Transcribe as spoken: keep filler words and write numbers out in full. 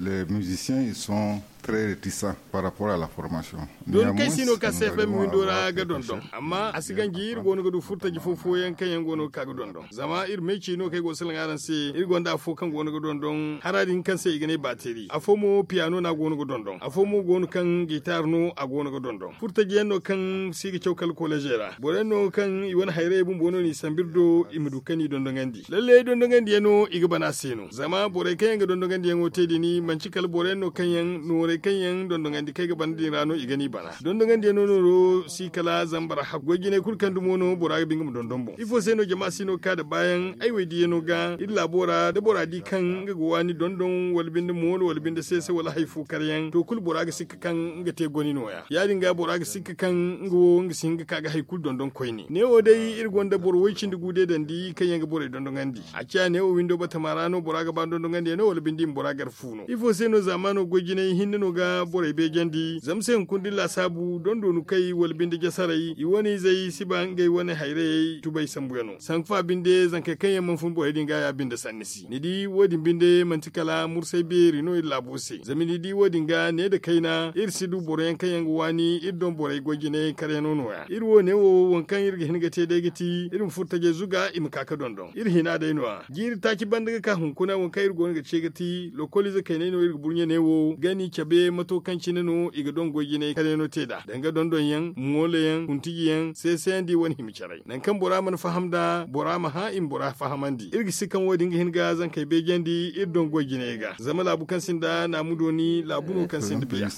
Les musiciens ils sont très réticents par rapport à la formation. Dooni kaŋ si no ka cfm windo ra ga dondon, amma a si ganji iri go no ga du furtaji fo fooyaŋ kaŋ yaŋ go no ga ka ga dondon. Zama iri meeci no kaŋ ay go ga salaŋ araŋ se, iri gonda afo kaŋ go no ga dondon hara din kaŋ se i ga ne baateri, afo mo piyano no a go no ga dondon, afo mo go no kaŋ gitar no a go no ga dondon. Furtaji yaŋ no kaŋ si ga caw kala kolejey ra, boro yaŋ no kaŋ i wane hayray bumbo no n'i sambu iri do i ma du kaŋ i dondonandi. Lalle dondonandi yaŋ no i ga bana se no, zama borey kaŋ yaŋ ga dondonandi yaŋo te din manci kala boro yaŋ no kaŋ yaŋ noorey kaŋ yaŋ dondonandi kaŋ ay ga bana din ra no i ga n'i bana. Dondonandi yaŋ no nooro si kala zama bora hab goy jinay kulu kaŋ dumo no bora ga ba nga ma dondon boŋ. Ifo se no jama si no ga ka da baayaŋ ay wey diyaŋo ga iri laabo ra da bora di kaŋ nga ga waani dondon wala binde moolo wala binde seese wala hari fo kar yaŋ to kulu bora ga sikka kaŋ nga te goni nooya ya- din ga bora ga sikka kaŋ nga wo nga si hin ga ka ga hari kulu dondon koyne. Neewo day iri gonda boro way cindi gu deedandi kaŋ yaŋ ga borey dondonandi. A ciya neewo windo batama ra no bora ga ba dondonandi yaŋ no wala binde i ma bora gar fu no? Ifo se no zaamaano goy jinay hinne no ga borey beejandi zama se hunkuna da ni laasaabu dondoonu kay wala binde jasaray i wane izey si ba ngey wane hayrayey tubay sambuyaŋo sanku fa binde zankey kaŋ yaŋ mana fun borey din ga ya- binde sanni si ni di wo- din binde manti kala mursay beeri no iri laabo se zama ni di wo- din ga ne nda kayna iri si du boro yaŋ kaŋ yaŋ ga waani iri doŋ borey goy jinay karyaŋo nooya iri wo- ne wo waŋ kaŋ iri ga hin ga te day ga ti iri ma furo tajey zuga i ma ka ga dondon iri hina day no- ya jiiri taaci banda ga ka hunkuna waŋ kaŋ iri go no ga ce ga ti lokoliize kayney no iri ga burɲe ne wo gani cabe mato kaŋ cine no i ga doŋ goy jinay karyaŋo te nd'a danga dondonyaŋ mooloyaŋ kuntiji yaŋ seesayandi wane hima caray nangu kaŋ bora mana faham nd'a bora ma hã i ma bora fahamandi iri ga si kaŋ wo- din ga hin ga zankey beejandi iri doŋ goy jinay ga zama laabu kaŋ sinda naamu dooni laabu no kaŋ sinda biya.